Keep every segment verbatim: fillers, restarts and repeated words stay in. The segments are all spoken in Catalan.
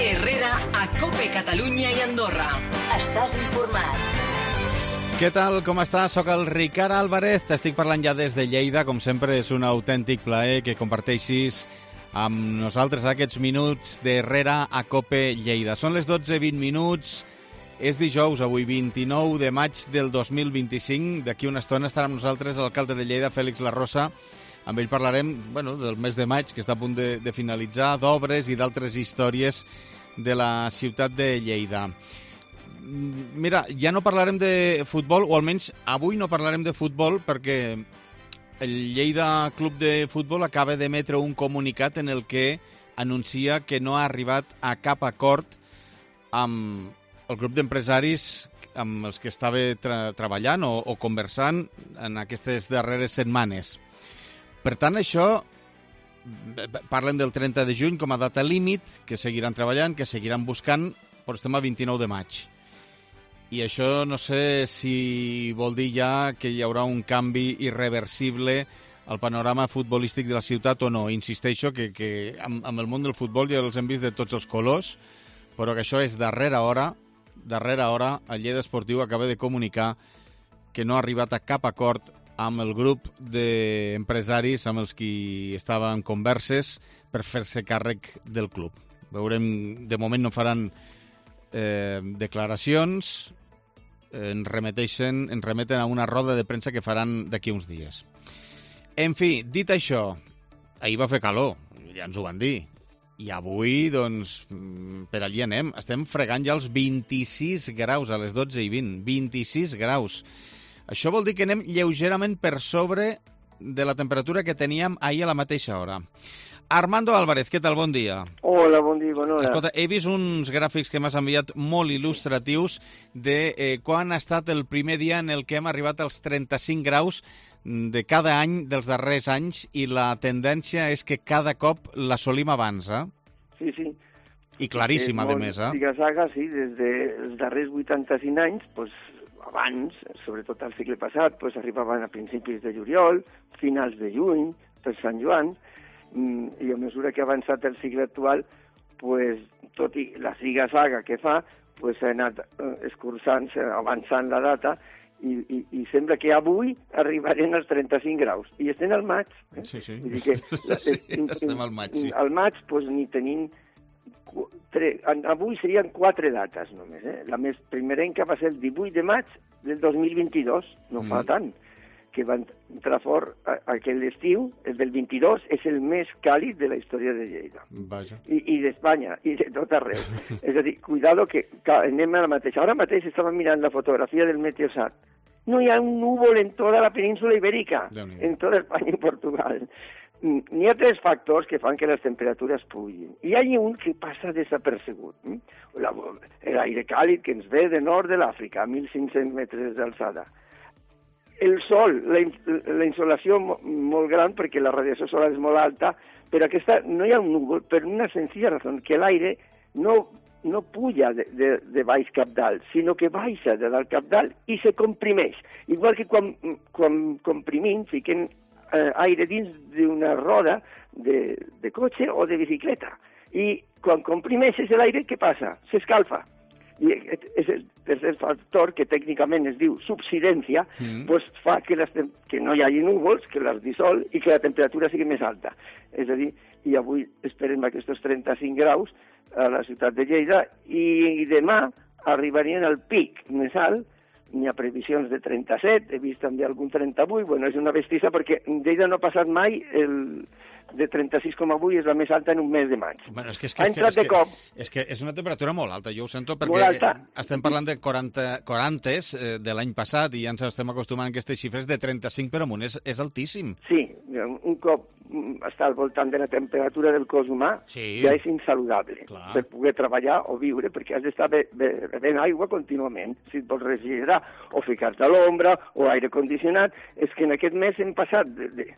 Herrera a COPE Catalunya i Andorra. Estàs informat. Què tal, com estàs? Soc el Ricard Álvarez, t'estic parlant ja des de Lleida. Com sempre, és un autèntic plaer que comparteixis amb nosaltres aquests minuts d'Herrera a COPE Lleida. Són les dotze vint minuts, és dijous, avui vint-i-nou de maig del dos mil vint-i-cinc. D'aquí una estona estarà amb nosaltres l'alcalde de Lleida, Fèlix Larrosa. Amb ell parlarem bueno, del mes de maig, que està a punt de, de finalitzar, d'obres i d'altres històries de la ciutat de Lleida. Mira, ja no parlarem de futbol, o almenys avui no parlarem de futbol, perquè el Lleida Club de Futbol acaba d'emetre un comunicat en el que anuncia que no ha arribat a cap acord amb el grup d'empresaris amb els que estava tra treballant o, o conversant en aquestes darreres setmanes. Per tant, això, parlen del trenta de juny com a data límit, que seguiran treballant, que seguiran buscant, però estem a vint-i-nou de maig. I això no sé si vol dir ja que hi haurà un canvi irreversible al panorama futbolístic de la ciutat o no. Insisteixo que, que amb, amb el món del futbol ja els hem vist de tots els colors, però que això és darrera hora, darrera hora, el Lleida Esportiu acaba de comunicar que no ha arribat a cap acord amb el grup d'empresaris amb els qui estava en converses per fer-se càrrec del club. Veurem, de moment no faran eh, declaracions, ens remeteixen, ens remeten a una roda de premsa que faran d'aquí uns dies. En fi, dit això, ahir va fer calor, ja ens ho van dir, i avui, doncs, per allí anem. Estem fregant ja els vint-i-sis graus a les dotze i vint, vint-i-sis graus. Això vol dir que anem lleugerament per sobre de la temperatura que teníem ahir a la mateixa hora. Armando Álvarez, què tal? Bon dia. Hola, bon dia, bona hora. Escolta, he vist uns gràfics que m'has enviat molt il·lustratius de eh, quan ha estat el primer dia en el que hem arribat als trenta-cinc graus de cada any dels darrers anys i la tendència és que cada cop l'assolim abans, eh? Sí, sí. I claríssima, molt, a més, eh? Ziga-zaga, sí, des dels darrers vuitanta-cinc anys, doncs, abans, sobretot al segle passat, doncs arribaven a principis de juliol, finals de juny, per Sant Joan, i a mesura que ha avançat el segle actual, doncs, tot i la ziga-zaga que fa, doncs, s'ha anat escurçant, avançant la data, i, i, i sembla que avui arribarem als trenta-cinc graus. I estem al maig. Eh? Sí, sí. Vull dir que, sí, estem al maig, sí. Al maig, doncs, ni tenim... Tre... Avui serien quatre dates només. Eh? La més primerenca va ser el divuit de maig del dos mil vint-i-dos, no mm. fa tant, que va entrar fort aquell estiu. El del vint-i-dos és el més càlid de la història de Lleida. Vaja. I, i d'Espanya, i de tot arreu. És a dir, cuidado que, que anem a la mateixa. Ara mateix estava mirant la fotografia del Meteosat. No hi ha un núvol en tota la península ibèrica, en tota Espanya i Portugal. N'hi ha tres factors que fan que les temperatures pugin. I hi ha un que passa desapercebut. L'aire càlid que ens ve de nord de l'Àfrica, a mil cinc-cents metres d'alçada. El sol, la, la insolació molt gran, perquè la radiació solar és molt alta, però aquesta, no hi ha un núvol, per una senzilla raó, que l'aire no, no puja de, de, de baix cap dalt, sinó que baixa de dalt cap dalt i se comprimeix. Igual que quan, quan comprimim, fiquem eh, aire dins d'una roda de, de cotxe o de bicicleta. I quan comprimeixes l'aire, què passa? S'escalfa. I és el tercer factor, que tècnicament es diu subsidència, mm. doncs fa que, les, que no hi hagi núvols, que les dissol i que la temperatura sigui més alta. És a dir, i avui esperem aquests trenta-cinc graus a la ciutat de Lleida i demà arribarien al pic més alt. N'hi ha previsions de trenta-set, he vist també algun trenta-vuit, bueno, és una bestiesa perquè Lleida no ha passat mai el de trenta-sis coma vuit, és la més alta en un mes de maig. Bueno, és que, és que, ha entrat és que, de cop. És que és una temperatura molt alta, jo ho sento, perquè estem parlant de quaranta, quarantes eh, de l'any passat i ja ens estem acostumant a aquestes xifres de trenta-cinc per amunt, és, és altíssim. Sí, un cop està al voltant de la temperatura del cos humà, sí. ja és insaludable. Clar. Per poder treballar o viure, perquè has d'estar bevent aigua contínuament, si et vols refrigerar, o ficar-te a l'ombra, o aire condicionat. És que en aquest mes hem passat de, de,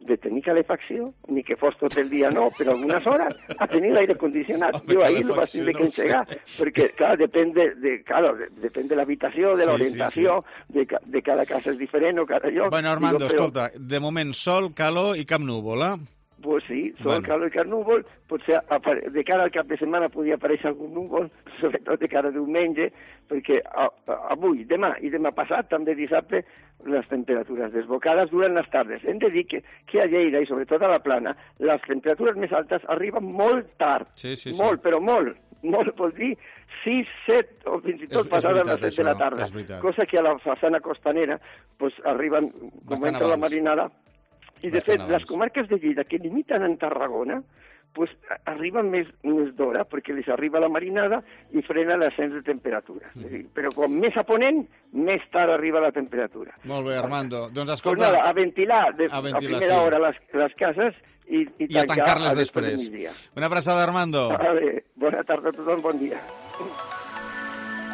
de tenir calefacció, ni que fos tot el dia no, però algunes hores, a tenir l'aire condicionat. Jo ahir no vaig tindre que engegar, no sé. Perquè, clar, depèn de, de, claro, depèn de l'habitació, de l'orientació, sí, sí, sí. de, de cada casa és diferent o cada lloc. Bueno, Armando, Digo, però... escolta, de moment sol, calor i cap núvol, eh? Pues sí, sol, Bueno. calor i carnúvol, potser apare- de cara al cap de setmana podia aparèixer algun núvol, sobretot de cara a diumenge, perquè a, a, avui, demà i demà passat, també dissabte, les temperatures desbocades duren les tardes. Hem de dir que, que a Lleida i sobretot a la Plana, les temperatures més altes arriben molt tard, Sí, sí, sí. molt, però molt. Molt, vol dir sis, set o fins i tot És- és passades veritat, les set de la això, tarda. és veritat. Cosa que a la façana costanera pues, arriben, com Bastant entra la abans. marinada, i de Bastant fet, abans. les comarques de Lleida que limiten en Tarragona, pues, a- arriben més, més d'hora, perquè les arriba la marinada i frena l'ascens de temperatura. Mm. És a dir, però com més a ponent, més tard arriba la temperatura. Molt bé, Armando. Doncs Pues escolta... nada, a ventilar, de, A a, ventilar, primera sí. hora les, les cases i, i, I a tancar-les a després. després. del migdia. Una abraçada, Armando. Vale, bona tarda a tothom, bon dia.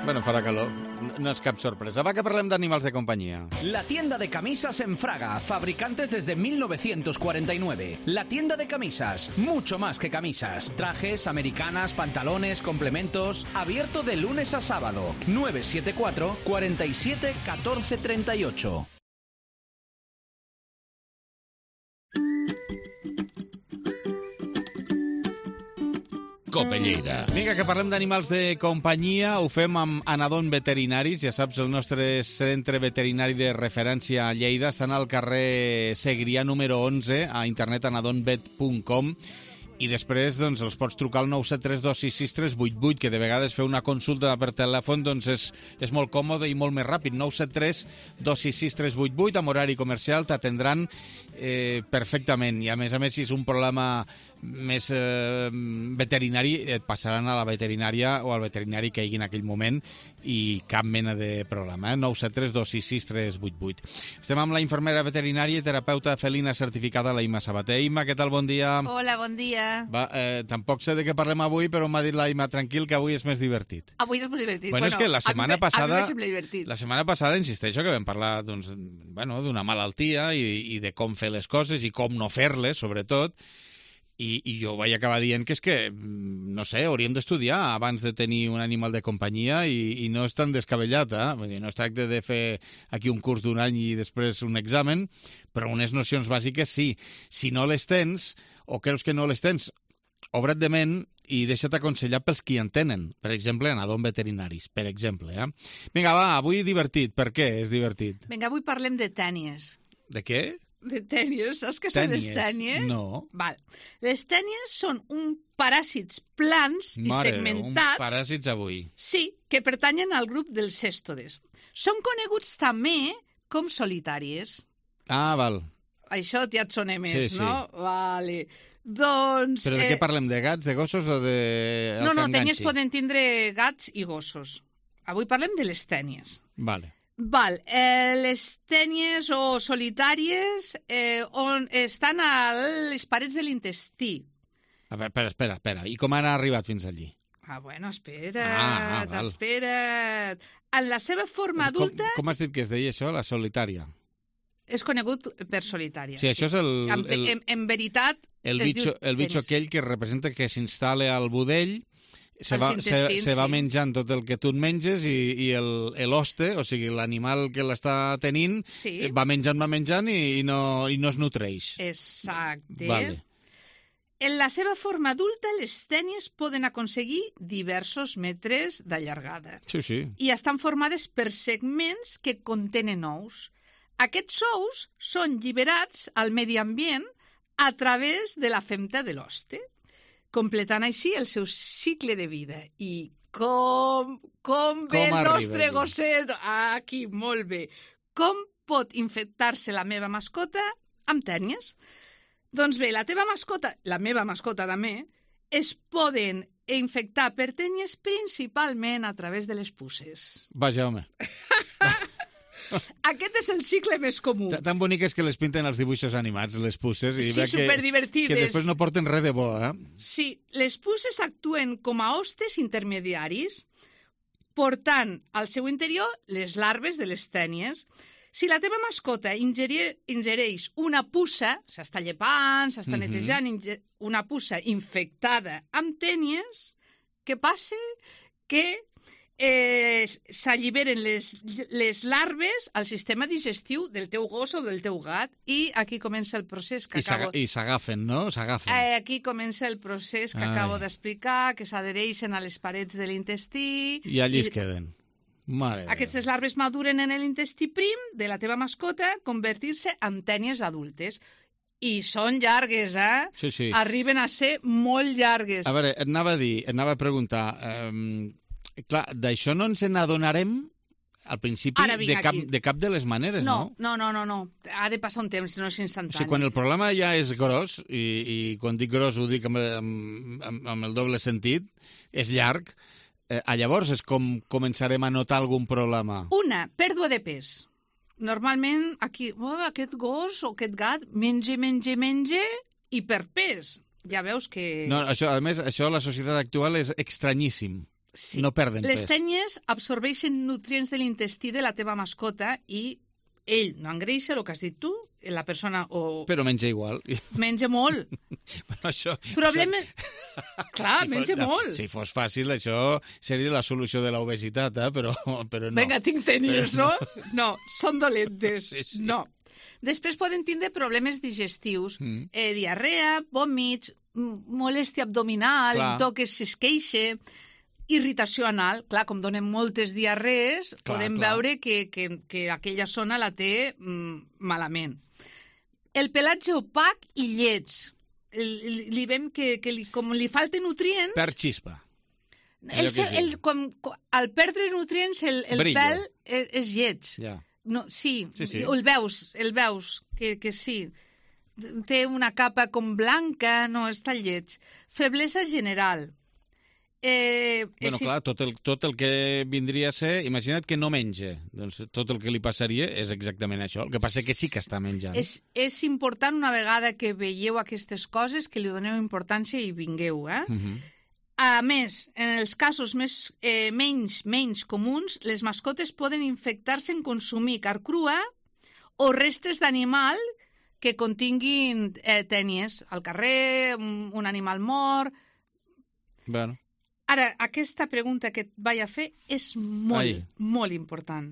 Bueno, farà calor. No- No és cap sorpresa. Va, que parlem d'animals de companyia. La tienda de camisas en Fraga, fabricantes desde mil novecientos cuarenta y nueve. La tienda de camisas, mucho más que camisas. Trajes, americanas, pantalones, complementos. Abierto de lunes a sábado. nueve siete cuatro, cuarenta y siete, catorce treinta y ocho. Cope Lleida. Vinga, que parlem d'animals de companyia. Ho fem amb Anadon Veterinaris. Ja saps, el nostre centre veterinari de referència a Lleida. Estan al carrer Segrià número onze, a internet anadonvet punt com. I després doncs, els pots trucar al nou set tres dos sis sis tres vuit vuit, que de vegades fer una consulta per telèfon doncs és, és molt còmode i molt més ràpid. nou set tres dos sis sis tres vuit vuit, amb horari comercial, t'atendran eh, perfectament. I a més a més, si és un problema més eh, veterinari, et passaran a la veterinària o al veterinari que hi hagi en aquell moment i cap mena de problema. Eh? nou set tres dos sis sis tres vuit vuit. Estem amb la infermera veterinària i terapeuta felina certificada, la Imma Sabater. Imma, què tal? Bon dia. Hola, bon dia. Va, eh, tampoc sé de què parlem avui, però m'ha dit la Imma, tranquil, que avui és més divertit. Avui és molt divertit. Bueno, és que la setmana a mi, me- passada... A mi me sembla divertit. La setmana passada, insisteixo, que vam parlar doncs, bueno, d'una malaltia i, i de com fer les coses i com no fer-les, sobretot, i, i jo vaig acabar dient que és que, no sé, hauríem d'estudiar abans de tenir un animal de companyia i, i no és tan descabellat, eh? Vull dir, no es tracta de fer aquí un curs d'un any i després un examen, però unes nocions bàsiques sí. Si no les tens, o creus que no les tens, obre't de ment i deixa't aconsellar pels qui en tenen. Per exemple, Anadon Veterinaris, per exemple. Eh? Vinga, va, avui divertit. Per què és divertit? Vinga, avui parlem de tènies. De què? De tènies, saps què són les Tènies? tènies? No. Val. Les tènies són un paràsits plans i Mare, uns segmentats... paràsits avui. Sí, que pertanyen al grup dels cèstodes. Són coneguts també com solitàries. Ah, val. Això ja et sona més, Sí, sí. no? Vale. Doncs... Però de què parlem? De gats, de gossos o de... el No, que no, tènies enganxi? poden tindre gats i gossos. Avui parlem de les tènies. Vale. Val, eh, les tènies o solitàries eh, on estan a les parets de l'intestí. A veure, espera, espera, espera. I com han arribat fins allí? Ah, bueno, espera't, Ah, ah, val. espera't. En la seva forma adulta Com, com has dit que es deia això, la solitària? és conegut per solitària. Sí, això és el... En, el... en, en veritat, El es bitxo, diu el bitxo tènis. aquell que representa que s'instal·la al budell, se Als va, se, intestins, se va sí. menjant tot el que tu et menges i, i el- l'hoste, o sigui, l'animal que l'està tenint, Sí. va menjant, va menjant i, i, no, i no es nutreix. Exacte. Vale. En la seva forma adulta, les tènies poden aconseguir diversos metres d'allargada. Sí, sí. I estan formades per segments que contenen ous. Aquests ous són lliberats al medi ambient a través de la femta de l'hoste, completant així el seu cicle de vida. I com, com ve Com el arriba nostre aquí? gosset? Aquí, molt bé. Com pot infectar-se la meva mascota amb tènies? Doncs bé, la teva mascota, la meva mascota també, es poden infectar per tènies principalment a través de les puces. Vaja, home. Aquest és el cicle més comú. Ta- Tan bonic és que les pinten als dibuixos animats, les puces, i Sí, veig que, superdivertides. que després no porten res de bo, eh? Sí, les puces actuen com a hostes intermediaris, portant al seu interior les larves de les tènies. Si la teva mascota ingerir, ingereix una puça, s'està llepant, s'està Mhm. netejant, inge- una puça infectada amb tènies, què passa? Que eh, s'alliberen les, les larves al sistema digestiu del teu gos o del teu gat i aquí comença el procés que I acabo... I s'agafen, no? S'agafen. Eh, aquí comença el procés que Ai. acabo d'explicar, que s'adhereixen a les parets de l'intestí... I allí es queden. Mare Aquestes larves maduren en l'intestí prim de la teva mascota, convertir-se en tènies adultes. I són llargues, eh? Sí, sí. Arriben a ser molt llargues. A veure, et anava a dir, et anava a preguntar... Eh, clar, d'això no ens n'adonarem al principi de cap, de cap de les maneres, no? No, no, no, no. Ha de passar un temps, no és instantani. O sigui, quan el problema ja és gros, i, i quan dic gros ho dic amb, amb, amb el doble sentit, és llarg, eh, llavors és com començarem a notar algun problema. Una, pèrdua de pes. Normalment, aquí, oh, aquest gos o aquest gat menja, menja, menja i perd pes. Ja veus que... No, això, a més, això a la societat actual és estranyíssim. Sí. No perden Les pes. Les tènies absorbeixen nutrients de l'intestí de la teva mascota i ell no engreixa, el que has dit tu, la persona... O... Però menja igual. Menja molt. Bueno, això... Problema... Això... Clar, si menja fos, no, molt. Si fos fàcil, això seria la solució de l'obesitat, eh? però, però no. Vinga, tinc tènies, no? no? No, són dolentes. Sí, sí. No. Després poden tindre problemes digestius, mm. eh, diarrea, vòmits, molèstia abdominal, Clar. toques si es queixa, irritació anal. Clar, com donen moltes diarrees, clar, podem clar. veure que, que, que aquella zona la té mm, malament. El pelatge opac i lleig. Li, li veiem que, que li, com li falten nutrients... Per xispa. El, el, com, al perdre nutrients, el, el pèl és, és lleig. Ja. No, sí, sí, sí, el veus, el veus, que, que sí. Té una capa com blanca, no, està lleig. Feblesa general. Eh, bueno, clar, tot el, tot el que vindria a ser... Imagina't que no menja. Doncs tot el que li passaria és exactament això. El que passa que sí que està menjant. És, és important, una vegada que veieu aquestes coses, que li doneu importància i vingueu, eh? Uh-huh. A més, en els casos més, eh, menys, menys comuns, les mascotes poden infectar-se en consumir carn crua o restes d'animal que continguin eh, tènies al carrer, un, un animal mort... Bueno... Ara, aquesta pregunta que et vaig a fer és molt, Ai. molt important.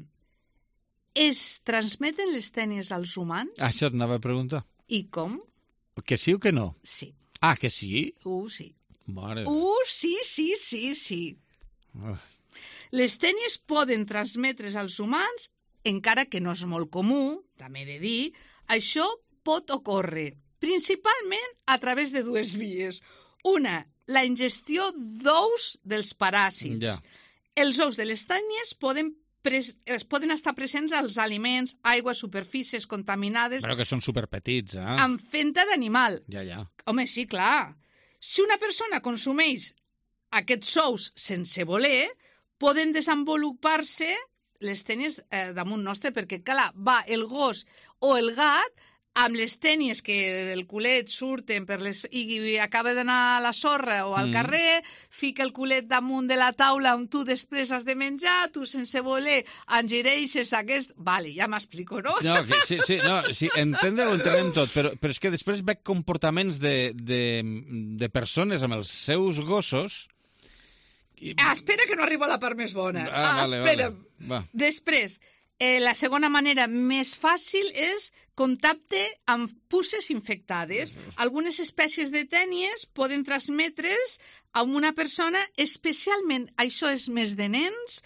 Es transmeten les tènies als humans? Això et anava a preguntar. I com? Que sí o que no? Sí. Ah, que sí? Uh, sí. Mare. Uh, sí, sí, sí, sí. Uh. Les tènies poden transmetre's als humans, encara que no és molt comú, també he de dir, això pot ocórrer, principalment a través de dues vies. Una, la ingestió d'ous dels paràsits. Ja. Els ous de les tènies poden, pres poden estar presents als aliments, aigües, superfícies contaminades... Però que són superpetits, eh? Amb fenta d'animal. Ja, ja. Home, sí, clar. Si una persona consumeix aquests ous sense voler, poden desenvolupar-se les tènies eh, damunt nostre, perquè, clar, va el gos o el gat amb les tènies que del culet surten per les... i acaba d'anar a la sorra o al mm. carrer, fica el culet damunt de la taula on tu després has de menjar, tu sense voler engireixes aquest... Vale, ja m'explico, no? No, que, sí, sí, no, sí, entendre ho entenem tot, però, però és que després veig comportaments de, de, de persones amb els seus gossos... I... Ah, espera que no arribo a la part més bona. Ah, ah vale, espera. Vale. Va. Després, eh, la segona manera més fàcil és contacte amb puces infectades. Algunes espècies de tènies poden transmetre's a una persona, especialment, això és més de nens,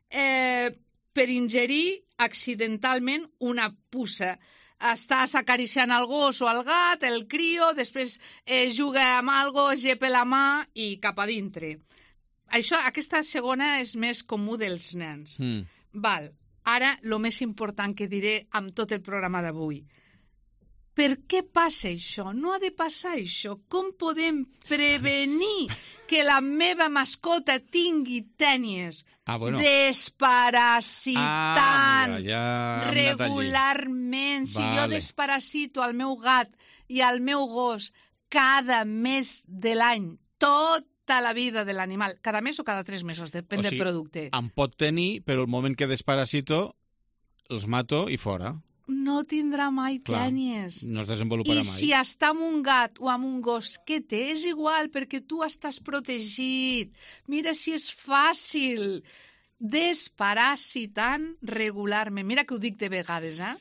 eh, per ingerir accidentalment una puça. Estàs acariciant el gos o el gat, el crio, després eh, juga amb algo, gepa la mà i cap a dintre. Això, aquesta segona és més comú dels nens. Mm. Val. Ara, el més important que diré amb tot el programa d'avui. Per què passa això? No ha de passar això. Com podem prevenir que la meva mascota tingui tènies ah, bueno. desparasitant ah, ja regularment? Si vale. Jo desparasito al meu gat i al meu gos cada mes de l'any, tot la vida de l'animal, cada mes o cada tres mesos, depèn o sigui, del producte. Em pot tenir, però el moment que desparasito els mato i fora. No tindrà mai tènies. No es desenvoluparà I mai. I si està amb un gat o amb un gos, què té? És igual, perquè tu estàs protegit. Mira si és fàcil. desparasitant regularment. Mira que ho dic de vegades, eh?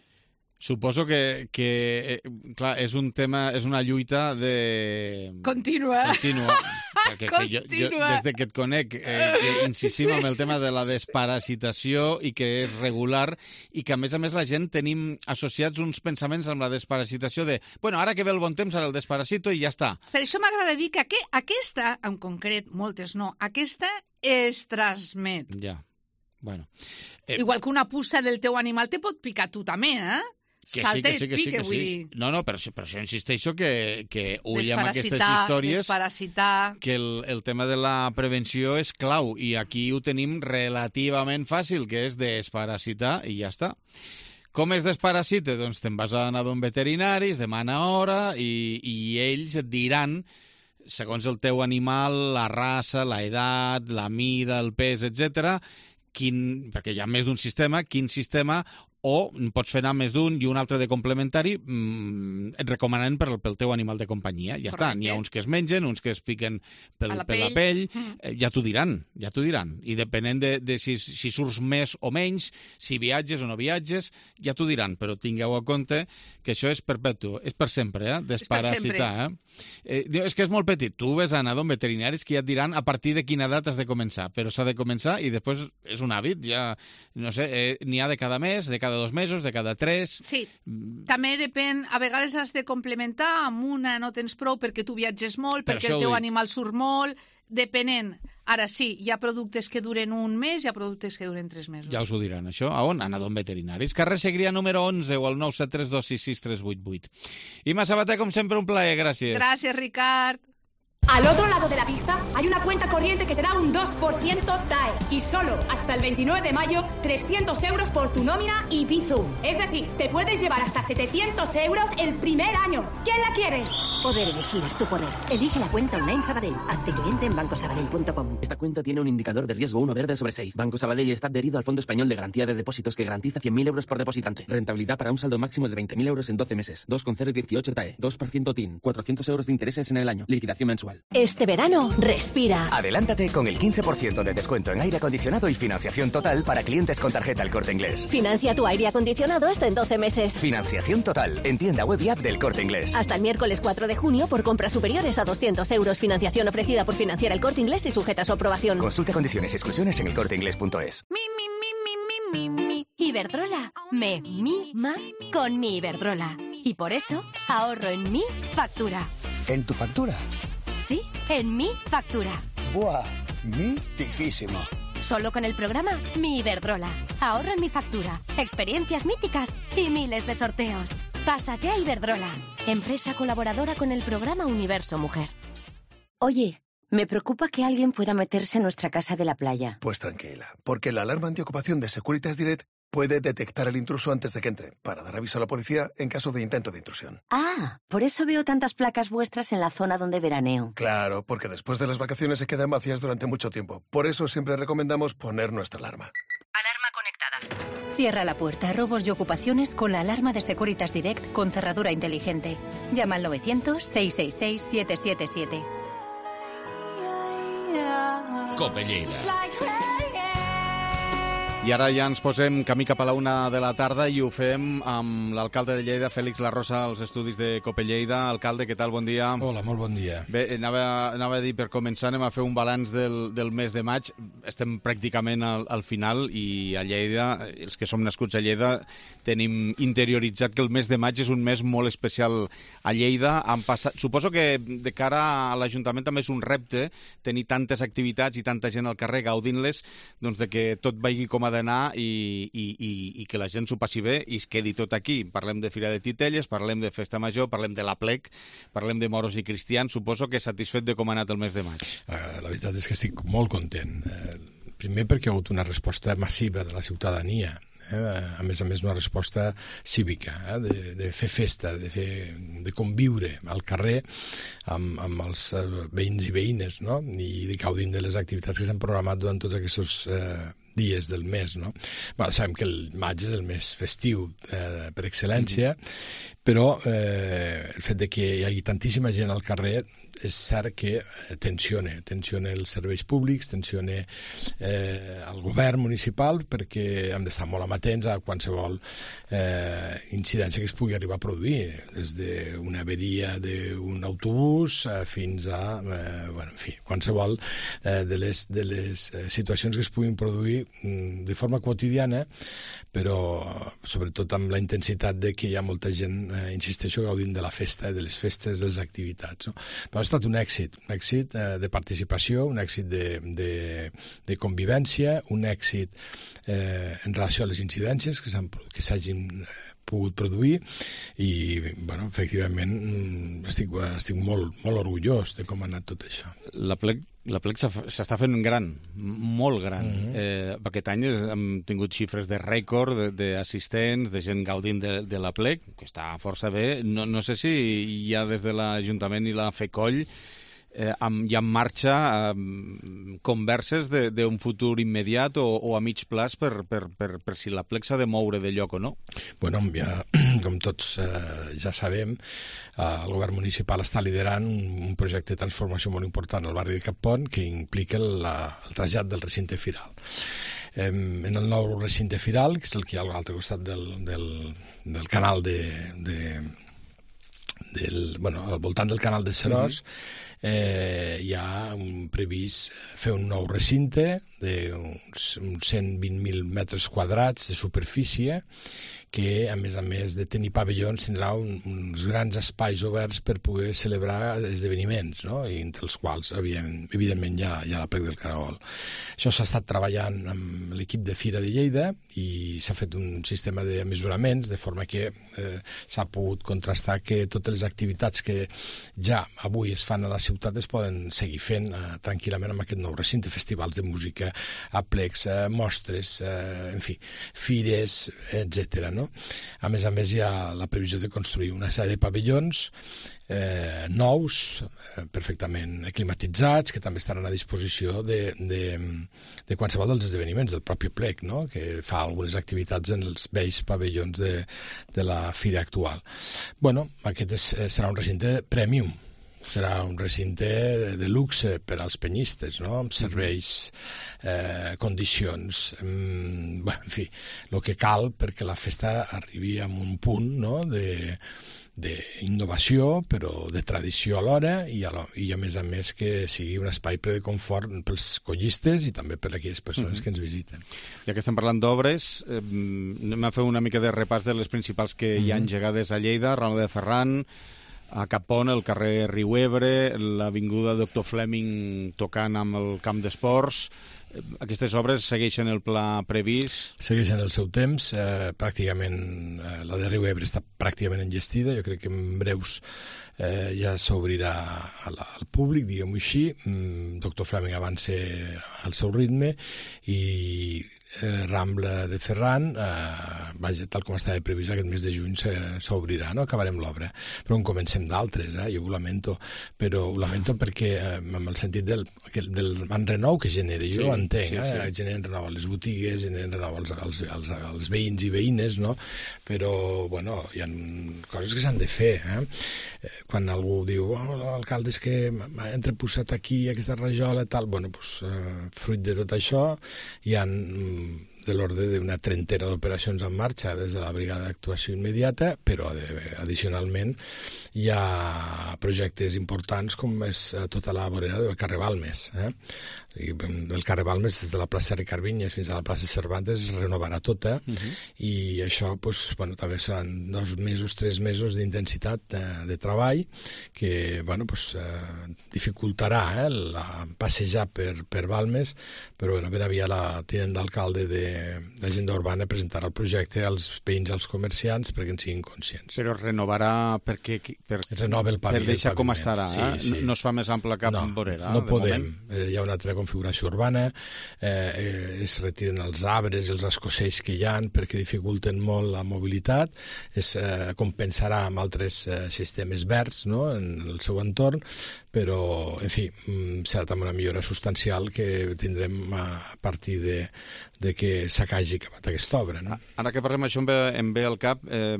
Suposo que, que clar, és un tema, és una lluita de... Contínua. Contínua. Perquè que jo, jo, des de que et conec, eh, que insistim en el tema de la desparasitació i que és regular i que, a més a més, la gent tenim associats uns pensaments amb la desparasitació de, bueno, ara que ve el bon temps, ara el desparasito i ja està. Per això m'agrada dir que aqu aquesta, en concret, moltes no, aquesta es transmet. Ja, bueno. Eh, Igual que una puça del teu animal te pot picar tu també, eh? Que Salta sí, que sí, i que pique, sí, que vull sí. dir. No, no, per, per això insisteixo que, que ull amb aquestes històries, desparasitar. que el, el tema de la prevenció és clau, i aquí ho tenim relativament fàcil, que és desparasitar i ja està. Com es desparasita? Doncs te'n vas a anar d'un veterinari, es demana hora, i, i ells et diran, segons el teu animal, la raça, la edat, la mida, el pes, etcètera, quin, perquè hi ha més d'un sistema, quin sistema, o pots fer anar més d'un i un altre de complementari, mmm, et recomanen per, pel teu animal de companyia. Ja Correcte. Està, n'hi ha uns que es mengen, uns que es piquen pel, la per pell. la pell, mm. eh, ja t'ho diran, ja t'ho diran. I depenent de, de si, si surts més o menys, si viatges o no viatges, ja t'ho diran, però tingueu a compte que això és perpetu, és per sempre, eh? Desparasitar. Eh? Eh, és que és molt petit, tu ves a anar d'un veterinari que ja et diran a partir de quina edat has de començar, però s'ha de començar i després és un hàbit, ja, no sé, eh, n'hi ha de cada mes, de cada cada dos mesos, de cada tres... Sí, també depèn, a vegades has de complementar, amb una no tens prou perquè tu viatges molt, per perquè el teu animal surt molt, depenent. Ara sí, hi ha productes que duren un mes, hi ha productes que duren tres mesos. Ja us ho diran, això. A on? Anar d'on veterinaris. Carrer Segrià número onze o al nou set tres dos sis sis tres vuit vuit. Imma Sabater, com sempre, un plaer, gràcies. Gràcies, Ricard. Al otro lado de la pista hay una cuenta corriente que te da un dos por ciento T A E y solo hasta el veintinueve de mayo trescientos euros por tu nómina y Bizum. Es decir, te puedes llevar hasta setecientos euros el primer año. ¿Quién la quiere? Poder elegir es tu poder. Elige la cuenta online Sabadell. Hazte cliente en banco sabadell punto com. Esta cuenta tiene un indicador de riesgo uno verde sobre seis. Banco Sabadell está adherido al Fondo Español de Garantía de Depósitos que garantiza cien mil euros por depositante. Rentabilidad para un saldo máximo de veinte mil euros en doce meses. dos coma cero dieciocho T A E. dos por ciento T I N. cuatrocientos euros de intereses en el año. Liquidación mensual. Este verano, respira. Adelántate con el quince por ciento de descuento en aire acondicionado y financiación total para clientes con tarjeta El Corte Inglés. Financia tu aire acondicionado hasta en doce meses. Financiación total en tienda web y app del Corte Inglés. Hasta el miércoles cuatro de junio por compras superiores a doscientos euros. Financiación ofrecida por Financiar El Corte Inglés y sujeta a su aprobación. Consulta condiciones y exclusiones en el corte inglés punto es. Mi, mi, mi, mi, mi, mi, mi. Iberdrola. Me mima con mi Iberdrola. Y por eso ahorro en mi factura. ¿En tu factura? Sí, en mi factura. ¡Buah! ¡Mitiquísimo! Solo con el programa Mi Iberdrola. Ahorro en mi factura, experiencias míticas y miles de sorteos. Pásate a Iberdrola, empresa colaboradora con el programa Universo Mujer. Oye, me preocupa que alguien pueda meterse en nuestra casa de la playa. Pues tranquila, porque la alarma antiocupación de Securitas Direct puede detectar al intruso antes de que entre, para dar aviso a la policía en caso de intento de intrusión. Ah, por eso veo tantas placas vuestras en la zona donde veraneo. Claro, porque después de las vacaciones se quedan vacías durante mucho tiempo. Por eso siempre recomendamos poner nuestra alarma. Alarma conectada. Cierra la puerta a robos y ocupaciones con la alarma de Securitas Direct con cerradura inteligente. Llama al novecientos, seiscientos sesenta y seis, siete siete siete. Cope Lleida. I ara ja ens posem camí cap a la una de la tarda i ho fem amb l'alcalde de Lleida, Fèlix Larrosa, als estudis de Cope Lleida. Alcalde, què tal? Bon dia. Hola, molt bon dia. Bé, anava, anava a dir, per començar, anem a fer un balanç del, del mes de maig. Estem pràcticament al, al final i a Lleida, els que som nascuts a Lleida, tenim interioritzat que el mes de maig és un mes molt especial a Lleida. Han passat, suposo que de cara a l'Ajuntament també és un repte tenir tantes activitats i tanta gent al carrer gaudint-les, doncs de que tot vagi com ha d'anar i, i, i, i que la gent s'ho passi bé i es quedi tot aquí. Parlem de Fira de Titelles, parlem de Festa Major, parlem de l'Aplec, parlem de moros i cristians. Suposo que satisfet de com ha anat el mes de maig. La veritat és que estic molt content. Primer perquè hi ha hagut una resposta massiva de la ciutadania eh? A més a més una resposta cívica, eh? de, de fer festa, de, fer, de conviure al carrer amb, amb els veïns i veïnes, no? I de gaudint de les activitats que s'han programat durant tots aquests eh, dies del mes, no? Bueno, sabem que el maig és el mes festiu eh, per excel·lència, mm-hmm. però eh, el fet de que hi hagi tantíssima gent al carrer és cert que tensiona, tensiona els serveis públics, tensiona eh, el govern municipal, perquè hem d'estar molt amatents a qualsevol eh, incidència que es pugui arribar a produir, des d'una averia d'un autobús eh, fins a, eh, bueno, en fi, qualsevol eh, de les, de les situacions que es puguin produir mm, de forma quotidiana, però sobretot amb la intensitat de que hi ha molta gent, eh, insisteixo, gaudint de la festa, de les festes, de les activitats, no? Però ha estat un èxit, un èxit eh, de participació, un èxit de, de, de convivència, un èxit eh, en relació a les incidències que s'hagin pogut produir i, bueno, efectivament estic, estic molt, molt orgullós de com ha anat tot això. La plec, la plec s'està fent gran, molt gran. Mm-hmm. eh, aquest any hem tingut xifres de rècord d'assistents, de gent gaudint de, de la plec, que està força bé. No, no sé si hi ha des de l'Ajuntament i la FECOLL Eh, amb, hi ha en marxa eh, converses d'un futur immediat o, o a mig plaç per, per, per, per si la plec s'ha de moure de lloc o no? Bueno, ja, com tots eh, ja sabem, eh, el govern municipal està liderant un, un projecte de transformació molt important al barri de Cappont que implica la, el trasllat del recinte firal. Eh, en el nou recinte firal, que és el que hi ha a l'altre costat del, del, del canal de... de del, bueno, al voltant del canal de Seròs, mm-hmm. eh, hi ha un previst fer un nou recinte d'uns cent vint mil metres quadrats de superfície que, a més a més de tenir pavellons, tindrà un, uns grans espais oberts per poder celebrar esdeveniments, no? I entre els quals, evidentment, evidentment hi ha, hi ha la plec del Caragol. Això s'ha estat treballant amb l'equip de Fira de Lleida i s'ha fet un sistema de mesuraments, de forma que eh, s'ha pogut contrastar que totes les activitats que ja avui es fan a la ciutat es poden seguir fent eh, tranquil·lament amb aquest nou recinte, festivals de música, aplecs, eh, mostres, eh, en fi, fires, etcètera. No? A més a més, hi ha la previsió de construir una sèrie de pavellons eh, nous, eh, perfectament climatitzats, que també estaran a disposició de, de, de qualsevol dels esdeveniments del propi plec, no? Que fa algunes activitats en els vells pavellons de, de la fira actual. Bueno, aquest és, serà un recinte premium, serà un recinte de luxe per als penyistes, no? Amb serveis, eh, condicions, mm, bé, en fi, el que cal perquè la festa arribi a un punt, no?, de d'innovació, però de tradició alhora, i a, lo, i a més a més que sigui un espai ple de confort pels collistes i també per a aquelles persones mm-hmm. que ens visiten. Ja que estem parlant d'obres, eh, anem a fer una mica de repàs de les principals que mm-hmm. hi ha engegades a Lleida, Rambla de Ferran, a Cappont, el carrer Riuebre, l'avinguda Doctor Fleming tocant amb el camp d'esports. Aquestes obres segueixen el pla previst? Segueixen el seu temps. Eh, pràcticament, eh, la de Riuebre està pràcticament engestida. Jo crec que en breus eh, ja s'obrirà al, al públic, diguem-ho així. Mm, Doctor Fleming avança al seu ritme i eh, Rambla de Ferran, eh, vaja, tal com estava previst, aquest mes de juny s'obrirà, no? Acabarem l'obra. Però en comencem d'altres, eh? Jo ho lamento, però ho lamento perquè eh, amb el sentit del, del enrenou que genera, jo sí, ho entenc, sí, eh? Sí. Generen renou a les botigues, generen renou als, als, als, als veïns i veïnes, no? Però, bueno, hi ha coses que s'han de fer, eh? Quan algú diu, oh, l'alcalde és que m'ha entreposat aquí aquesta rajola i tal, bueno, doncs, eh, fruit de tot això, hi ha de l'ordre d'una trentena d'operacions en marxa des de la brigada d'actuació immediata, però addicionalment hi ha projectes importants com és tota la vorera del carrer Balmes. Eh? El carrer Balmes, des de la plaça Ricard Vinyes fins a la plaça Cervantes, es renovarà tota, uh-huh. i això pues, bueno, també seran dos mesos, tres mesos d'intensitat de, de treball que bueno, pues, eh, dificultarà eh, la, passejar per, per Balmes, però bueno, ben aviat la tinent d'alcalde de l'agenda urbana presentarà el projecte als veïns, als comerciants, perquè en siguin conscients. Però renovarà perquè, per, es renova el paviment, per deixar com estarà, sí, eh? sí. No es fa més ample cap no, vorera. No podem. Eh, hi ha una altra configuració urbana, eh, eh, es retiren els arbres i els escossells que hi ha perquè dificulten molt la mobilitat, es eh, compensarà amb altres eh, sistemes verds, no?, en el seu entorn, però, en fi, cert amb una millora substancial que tindrem a partir de, de que s'acagi acabat aquesta obra. No? Ara que parlem això em ve, em ve al cap eh,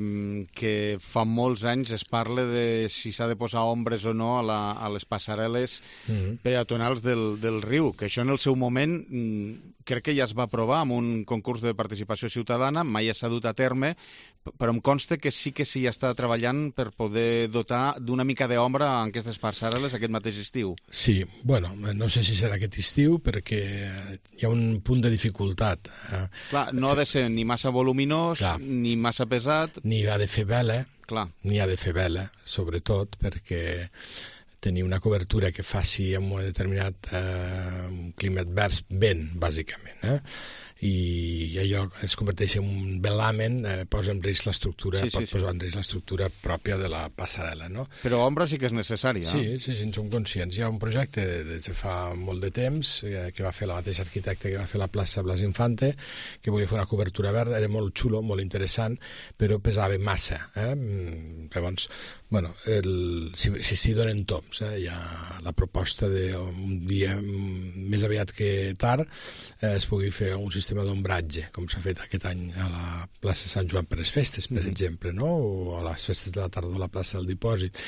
que fa molts anys es parla de si s'ha de posar ombres o no a, la, a les passarel·les mm-hmm. peatonals del, del riu, que això en el seu moment crec que ja es va aprovar amb un concurs de participació ciutadana, mai s'ha dut a terme, però em consta que sí que s'hi està treballant per poder dotar d'una mica d'ombra en aquestes passarel·les aquest mateix estiu. Sí, bueno, no sé si serà aquest estiu perquè hi ha un punt de dificultat. Clar, no ha de ser ni massa voluminós, Clar. ni massa pesat... Ni ha de fer vela, Clar. ni ha de fer vela, sobretot perquè tenir una cobertura que faci en un determinat eh, clima advers vent, bàsicament, eh? I allò es converteix en un velamen, eh, posa en risc l'estructura, sí, sí, pot sí. posar en risc l'estructura pròpia de la passarel·la, no? Però ombra sí que és necessària. Sí, sí, sí, en som conscients. Hi ha un projecte des de fa molt de temps eh, que va fer la mateixa arquitecte que va fer la plaça Blas Infante, que volia fer una cobertura verda, era molt xulo, molt interessant, però pesava massa. Eh? Llavors, bueno, el, si s'hi si donen toms, eh? Hi ha la proposta d'un dia més aviat que tard eh, es pugui fer un sistema d'ombratge, com s'ha fet aquest any a la plaça Sant Joan per les festes, per mm-hmm. exemple, no? O a les festes de la tardor a la plaça del Dipòsit.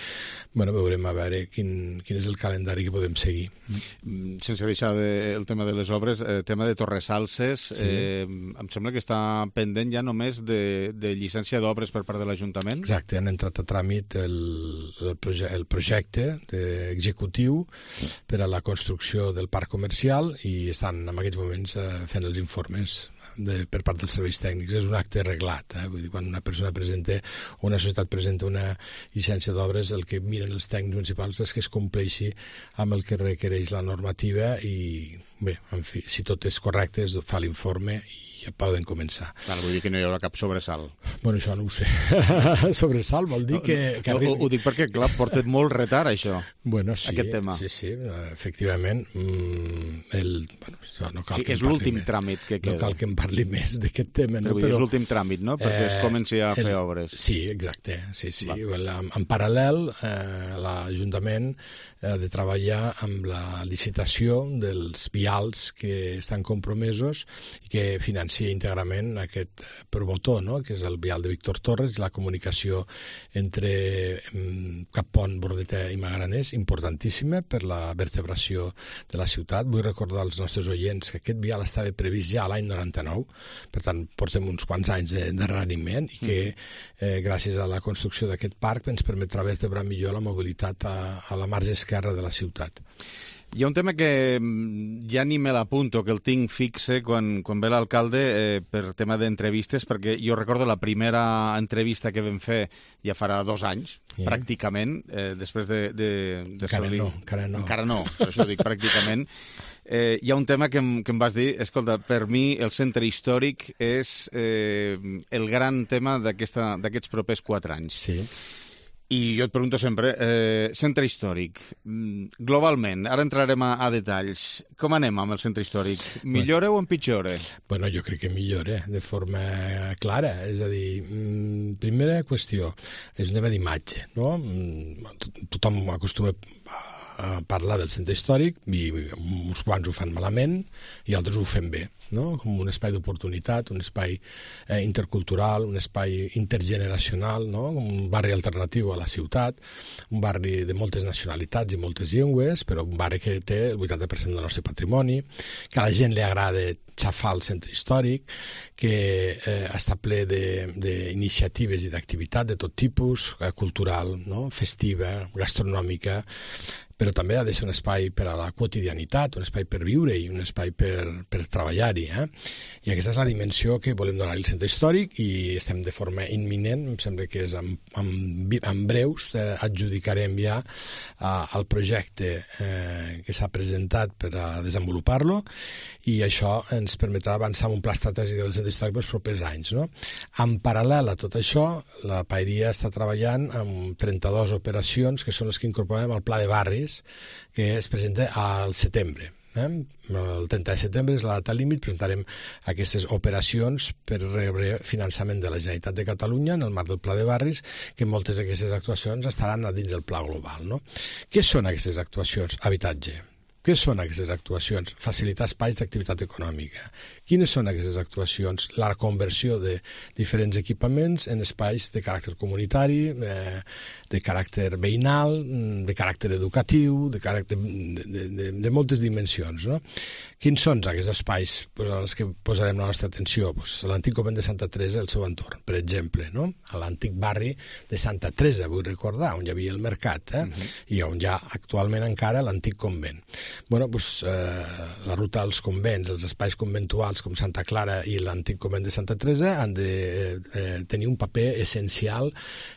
Bueno, veurem a veure quin, quin és el calendari que podem seguir. Mm. Sense deixar de, el tema de les obres, el eh, tema de Torresalses, sí. eh, em sembla que està pendent ja només de, de llicència d'obres per part de l'Ajuntament. Exacte, han entrat a tràmit el, el, proje el projecte executiu per a la construcció del parc comercial i estan en aquests moments eh, fent els informes de, per part dels serveis tècnics. És un acte reglat, eh? Vull dir, quan una persona presenta o una societat presenta una llicència d'obres, el que miren els tècnics municipals és que es compleixi amb el que requereix la normativa i, bé, en fi, si tot és correcte es fa l'informe i ja poden començar. Clar, vull dir que no hi haurà cap sobresalt. Bueno, això no ho sé. Sobresalt vol dir que... No, que arribi... ho, ho dic perquè, clar, porta molt retard, això, bueno, sí, aquest tema. Sí, sí, efectivament. Mm, el, bueno, no cal sí, que és l'últim tràmit que queda. No cal que em parli més d'aquest tema. Però, no? Però és l'últim tràmit, no?, perquè eh, es comenci a fer el, obres. Sí, exacte. Sí, sí. En, en paral·lel, eh, l'Ajuntament ha de treballar amb la licitació dels vials que estan compromesos i que financia íntegrament aquest promotor, no?, que és el vial de Víctor Torres, la comunicació entre mm, Cappont, Bordeta i Magraners, importantíssima per la vertebració de la ciutat. Vull recordar als nostres oients que aquest vial estava previst ja l'any noranta-nou, per tant, portem uns quants anys d'enrariment i que eh, gràcies a la construcció d'aquest parc ens permetrà vertebrar millor la mobilitat a, a la marge esquerra de la ciutat. Hi ha un tema que ja ni me l'apunto, que el tinc fixe quan, quan ve l'alcalde eh, per tema d'entrevistes, perquè jo recordo la primera entrevista que vam fer ja farà dos anys, yeah. pràcticament, eh, després de... de, de encara solir... no, encara no. Encara no, per això dic pràcticament. Eh, hi ha un tema que em, que em vas dir, escolta, per mi el centre històric és eh, el gran tema d'aquests propers quatre anys. Sí. I jo et pregunto sempre, eh, centre històric, globalment, ara entrarem a, a detalls, com anem amb el centre històric? Millora bueno, o empitjora? Bueno, jo crec que millora de forma clara, és a dir, primera qüestió, és un tema d'imatge, no? Tothom acostuma a parlar del centre històric i uns quants ho fan malament i altres ho fem bé, no? Com un espai d'oportunitat, un espai eh, intercultural, un espai intergeneracional, no? Un barri alternatiu a la ciutat, un barri de moltes nacionalitats i moltes llengües, però un barri que té el vuitanta per cent del nostre patrimoni, que a la gent li agrada xafar el centre històric, que eh, està ple d'iniciatives i d'activitat de tot tipus, eh, cultural, no? Festiva, gastronòmica, però també ha de ser un espai per a la quotidianitat, un espai per viure i un espai per, per treballar-hi. Eh? I aquesta és la dimensió que volem donar al centre històric i estem de forma imminent, em sembla que és en, en, en breus, eh, adjudicarem ja eh, el projecte eh, que s'ha presentat per a desenvolupar-lo i això ens permetrà avançar en un pla estratègic del centre històric pels propers anys. No? En paral·lel a tot això, la Paeria està treballant amb trenta-dues operacions que són les que incorporem al pla de barris que es presenta al setembre. Eh? El trenta de setembre és la data límit, presentarem aquestes operacions per rebre finançament de la Generalitat de Catalunya en el marc del Pla de Barris, que moltes d'aquestes actuacions estaran a dins del Pla Global. No? Què són aquestes actuacions? Habitatge. Què són aquestes actuacions? Facilitar espais d'activitat econòmica. Quines són aquestes actuacions? La conversió de diferents equipaments en espais de caràcter comunitari, eh, de caràcter veïnal, de caràcter educatiu, de, caràcter, de, de, de, de moltes dimensions. No? Quins són aquests espais pues, als que posarem la nostra atenció? Pues, l'antic convent de Santa Teresa i el seu entorn, per exemple, no? A l'antic barri de Santa Teresa, vull recordar, on hi havia el mercat, eh? Uh-huh. I on hi ha actualment encara l'antic convent. Bueno, doncs, eh, la ruta als convents, els espais conventuals com Santa Clara i l'antic convent de Santa Teresa han de eh, tenir un paper essencial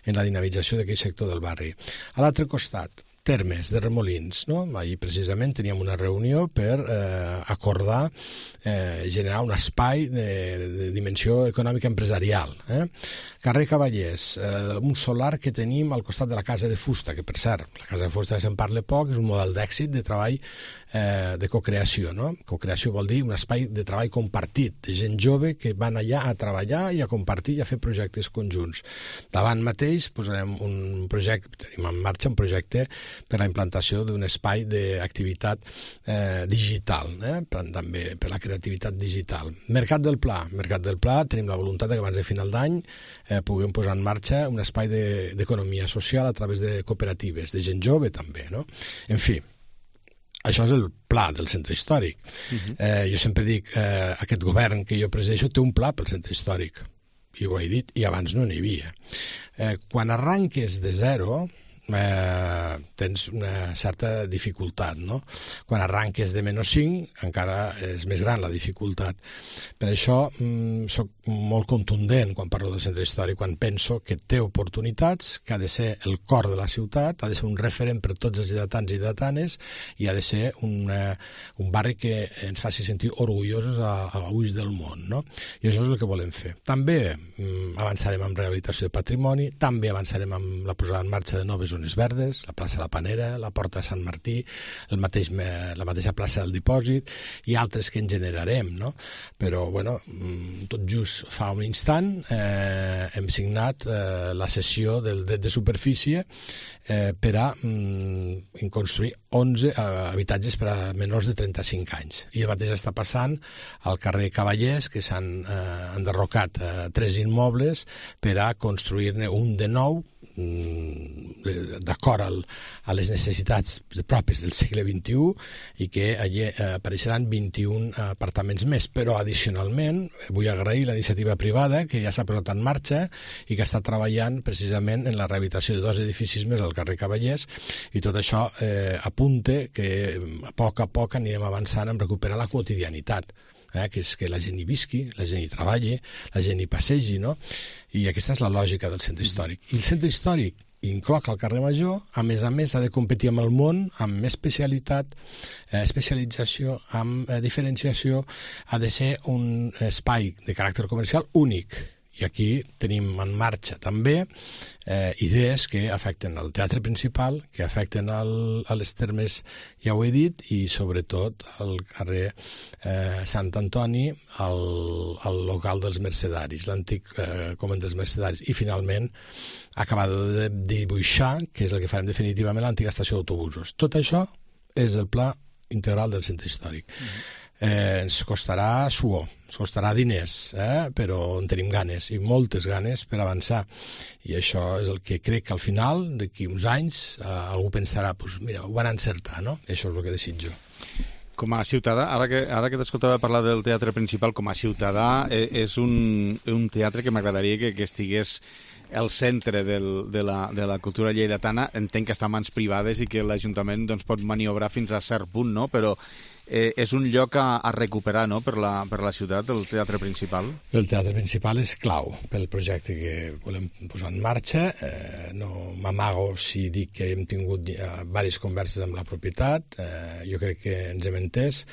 en la dinamització d'aquell sector del barri. A l'altre costat, Termes de Remolins, no? Ahir precisament teníem una reunió per eh, acordar eh, generar un espai de, de dimensió econòmica empresarial. Eh? Carrer Cavallers, eh, un solar que tenim al costat de la Casa de Fusta, que per cert, la Casa de Fusta se'n parla poc, és un model d'èxit de treball eh, de cocreació. No? Cocreació vol dir un espai de treball compartit, de gent jove que van allà a treballar i a compartir i a fer projectes conjunts. Davant mateix posarem un projecte, tenim en marxa un projecte per la implantació d'un espai d'activitat eh, digital, eh? també per la creativitat digital. Mercat del Pla. Mercat del Pla tenim la voluntat que abans de final d'any eh, puguem posar en marxa un espai d'economia de, social a través de cooperatives, de gent jove també. No? En fi, això és el pla del centre històric. Uh-huh. eh, jo sempre dic, eh, aquest govern que jo presideixo té un pla pel centre històric, i ho he dit, i abans no n'hi havia. Eh, quan arranques de zero, Eh, tens una certa dificultat, no? Quan arranques de menys cinc encara és més gran la dificultat. Per això mm, soc molt contundent quan parlo del centre històric, quan penso que té oportunitats, que ha de ser el cor de la ciutat, ha de ser un referent per tots els lleidatans i lleidatanes i ha de ser un, eh, un barri que ens faci sentir orgullosos a, a ulls del món, no? I això és el que volem fer. També mm, avançarem en rehabilitació de patrimoni, també avançarem amb la posada en marxa de noves zones verdes, la plaça La Panera, la Porta de Sant Martí, el mateix, la mateixa plaça del Dipòsit i altres que en generarem, no? Però, bueno, tot just fa un instant eh, hem signat eh, la cessió del dret de superfície eh, per a mm, construir onze eh, habitatges per a menors de trenta-cinc anys. I el mateix està passant al carrer Cavallers, que s'han eh, enderrocat eh, tres immobles per a construir-ne un de nou d'acord a les necessitats pròpies del segle vint-i-u i que allí apareixeran vint-i-un apartaments més, però addicionalment vull agrair la iniciativa privada que ja s'ha posat en marxa i que està treballant precisament en la rehabilitació de dos edificis més al carrer Cavallers i tot això eh, apunta que a poc a poc anirem avançant en recuperar la quotidianitat. Eh, que és que la gent hi visqui, la gent hi treballi, la gent hi passegi, no? I aquesta és la lògica del centre històric. I el centre històric incloc el carrer Major, a més a més ha de competir amb el món, amb més especialitat, eh, especialització, amb eh, diferenciació, ha de ser un espai de caràcter comercial únic. I aquí tenim en marxa també eh, idees que afecten el teatre principal, que afecten el, a les termes, ja ho he dit, i sobretot al carrer eh, Sant Antoni, al, al local dels Mercedaris, l'antic eh, convent dels Mercedaris. I finalment acabar de dibuixar, que és el que farem definitivament, l'antiga estació d'autobusos. Tot això és el pla integral del centre històric. Mm-hmm. Eh, ens costarà suor, ens costarà diners, eh? Però en tenim ganes, i moltes ganes per avançar. I això és el que crec que al final, d'aquí uns anys, eh, algú pensarà, pues, mira, ho van encertar, no? Això és el que desitjo. Com a ciutadà, ara que, ara que t'escoltava parlar del teatre principal, com a ciutadà, eh, és un, un teatre que m'agradaria que, que estigués al centre del, de, la, de la cultura lleidatana. Entenc que està a mans privades i que l'Ajuntament doncs, pot maniobrar fins a cert punt, no? Però eh, és un lloc a, a recuperar, no?, per la, per la ciutat, el teatre principal. El teatre principal és clau pel projecte que volem posar en marxa. Eh, no m'amago si dic que hem tingut eh, diverses converses amb la propietat. Eh, jo crec que ens hem entès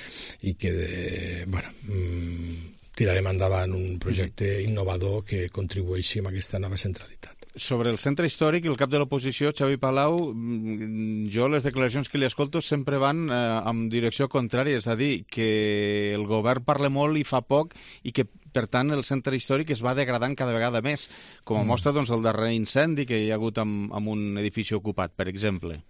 i que, eh, bueno, mm, tirarem endavant un projecte innovador que contribueixi a aquesta nova centralitat. Sobre el centre històric, el cap de l'oposició, Xavi Palau, jo les declaracions que li escolto sempre van eh, en direcció contrària, és a dir, que el govern parla molt i fa poc i que, per tant, el centre històric es va degradant cada vegada més, com a mostra doncs, el darrer incendi que hi ha hagut amb, amb un edifici ocupat, per exemple.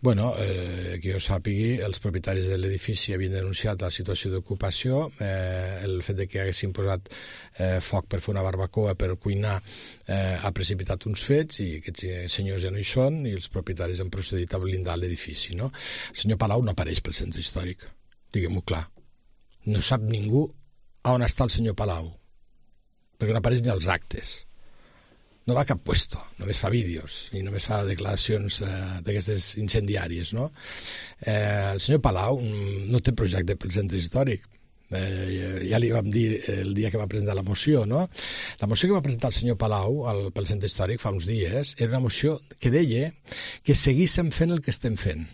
Bueno, eh, que jo sàpigui, els propietaris de l'edifici havien denunciat la situació d'ocupació, eh, el fet de que haguessin posat eh, foc per fer una barbacoa, per cuinar, eh, ha precipitat uns fets i aquests senyors ja no hi són i els propietaris han procedit a blindar l'edifici, no? El senyor Palau no apareix pel centre històric, diguem-ho clar. No sap ningú on està el senyor Palau, perquè no apareix ni als actes. No va a cap puesto, només fa vídeos i només fa declaracions eh, d'aquestes incendiàries, no? Eh, el senyor Palau no té projecte pel centre històric. Eh, ja li vam dir el dia que va presentar la moció, no? La moció que va presentar el senyor Palau al, pel centre històric fa uns dies era una moció que deia que seguíssim fent el que estem fent.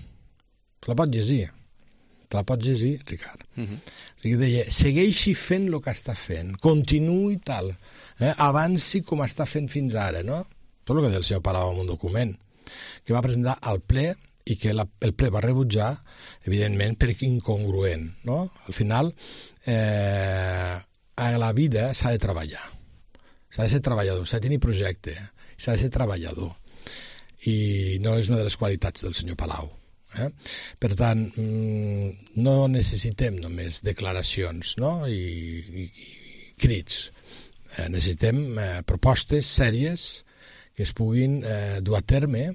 Te la pots llegir? Te la pots llegir, Ricard? Uh-huh. O sigui, deia, segueixi fent el que està fent, continuï tal, eh? avanci com està fent fins ara, no? Tot el que deia el senyor Palau en un document que va presentar al ple i que la, el ple va rebutjar, evidentment, perquè incongruent, no? Al final, eh, a la vida s'ha de treballar, s'ha de ser treballador, s'ha de tenir projecte, s'ha de ser treballador, i no és una de les qualitats del senyor Palau. Eh? Per tant, no necessitem només declaracions, no? I, i, i crits. Eh, necessitem eh, propostes sèries que es puguin eh, dur a terme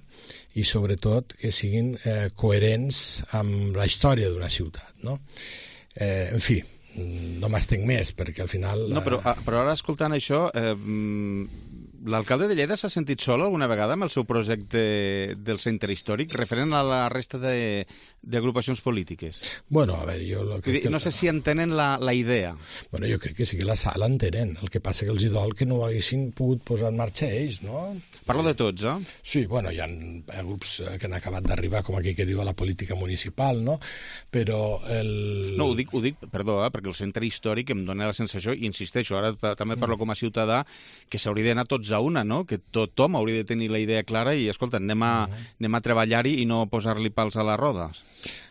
i sobretot que siguin eh, coherents amb la història d'una ciutat, no? Eh, en fi, no m'estenc més perquè al final... No, però, però ara escoltant això... Eh, l'alcalde de Lleida s'ha sentit sol alguna vegada amb el seu projecte del centre històric referent a la resta de, d'agrupacions polítiques? Bueno, a veure, jo... Lo que, no sé si entenen la, la idea. Bueno, jo crec que sí que la sala entenen. El que passa que els hi dol que no ho haguessin pogut posar en marxa ells, no? Parlo de tots, eh? Sí, bueno, hi ha grups que han acabat d'arribar, com aquell que diu a la política municipal, no? Però el... No, ho dic, ho dic perdó, eh, perquè el centre històric em dona la sensació, i insisteixo, ara també parlo com a ciutadà, que s'hauria d'anar tots a una, no? Que tothom hauria de tenir la idea clara i, escolta, anem a, anem a treballar-hi i no posar-li pals a les rodes.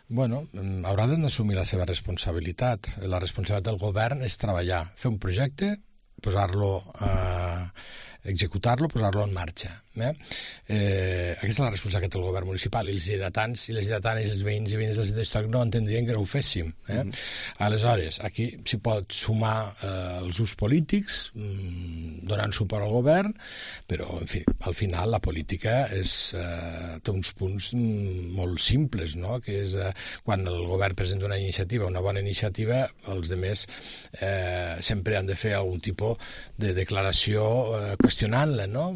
Bueno, haurà d'assumir la seva responsabilitat. La responsabilitat del govern és treballar, fer un projecte, posar-lo a... executar-lo, posar-lo en marxa. Eh? Eh, aquesta és la responsabilitat del govern municipal, i els lleidatans i les lleidatanes, els veïns i veïnes del centre històric no entendrien que no ho féssim. Eh? Mm. Aleshores, aquí s'hi pot sumar eh, els ús polítics, mm, donant suport al govern, però, en fi, al final la política és, eh, té uns punts mm, molt simples, no? Que és eh, quan el govern presenta una iniciativa, una bona iniciativa, els altres eh, sempre han de fer algun tipus de declaració eh, qüestionant-la, no?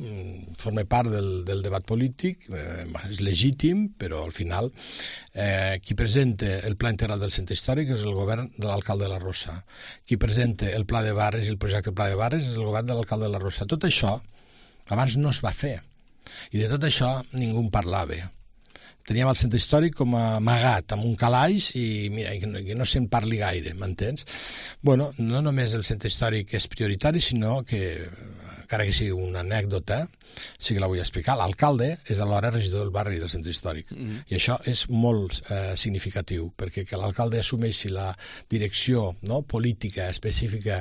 Forma part del, del debat polític, eh, és legítim, però al final eh, qui presenta el pla integral del centre històric és el govern de l'alcalde de la Rosa. Qui presenta el pla de barris i el projecte del pla de barris és el govern de l'alcalde de la Rosa. Tot això abans no es va fer, i de tot això ningú en parlava. Teníem el centre històric com a amagat amb un calaix i mira, que no, que no se'n parli gaire, m'entens? Bueno, no només el centre històric és prioritari, sinó que, encara que sigui una anècdota, sí que la vull explicar, l'alcalde és alhora regidor del barri del centre històric. Mm-hmm. I això és molt eh, significatiu, perquè que l'alcalde assumeixi la direcció, no, política específica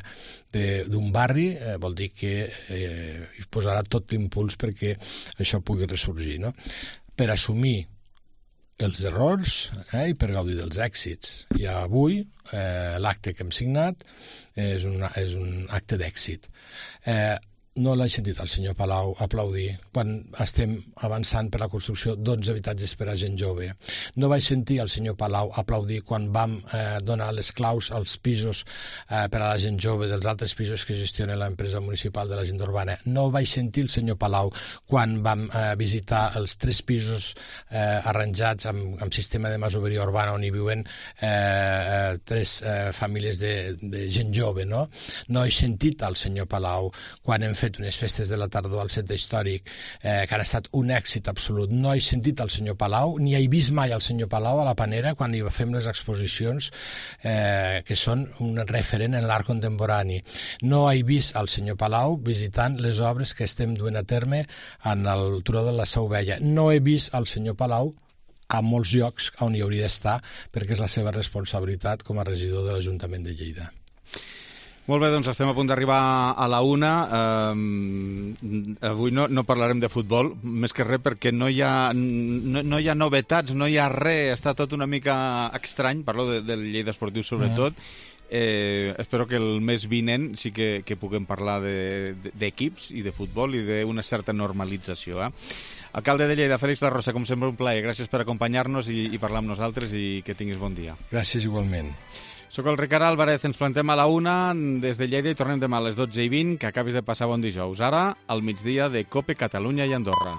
d'un barri eh, vol dir que eh, posarà tot l'impuls perquè això pugui ressorgir, no? Per assumir els errors eh, i per gaudir dels èxits. I avui eh, l'acte que hem signat és un, és un acte d'èxit. Eh, no l'he sentit el senyor Palau aplaudir quan estem avançant per la construcció d'onze habitatges per a gent jove. No vaig sentir el senyor Palau aplaudir quan vam eh, donar les claus als pisos eh, per a la gent jove dels altres pisos que gestiona l'empresa municipal de l'agenda urbana. No vaig sentir el senyor Palau quan vam eh, visitar els tres pisos eh, arranjats amb, amb sistema de masoveria urbana on hi viuen eh, eh, tres eh, famílies de, de gent jove, no? No he sentit el senyor Palau quan hem fet unes festes de la tardor al centre històric eh, que han estat un èxit absolut. No he sentit el senyor Palau, ni he vist mai el senyor Palau a la Panera quan hi fem les exposicions eh, que són un referent en l'art contemporani. No he vist el senyor Palau visitant les obres que estem duent a terme en el Turó de la Seu Vella. No he vist el senyor Palau a molts llocs on hi hauria d'estar perquè és la seva responsabilitat com a regidor de l'Ajuntament de Lleida. Molt bé, doncs estem a punt d'arribar a la una. Um, avui no, no parlarem de futbol, més que res perquè no hi ha, no, no hi ha novetats, no hi ha res, està tot una mica estrany, parlo de, del Lleida Esportiu sobretot. Mm. Eh, espero que el mes vinent sí que, que puguem parlar d'equips de, de, i de futbol i d'una certa normalització. Eh? Alcalde de Lleida, Fèlix La Rosa, com sempre un plaer. Gràcies per acompanyar-nos i, i parlar amb nosaltres i que tinguis bon dia. Gràcies igualment. Soc el Ricard Álvarez, ens plantem a la una des de Lleida i tornem demà a les dotze i vint, que acabis de passar bon dijous. Ara, al migdia de COPE Catalunya i Andorra.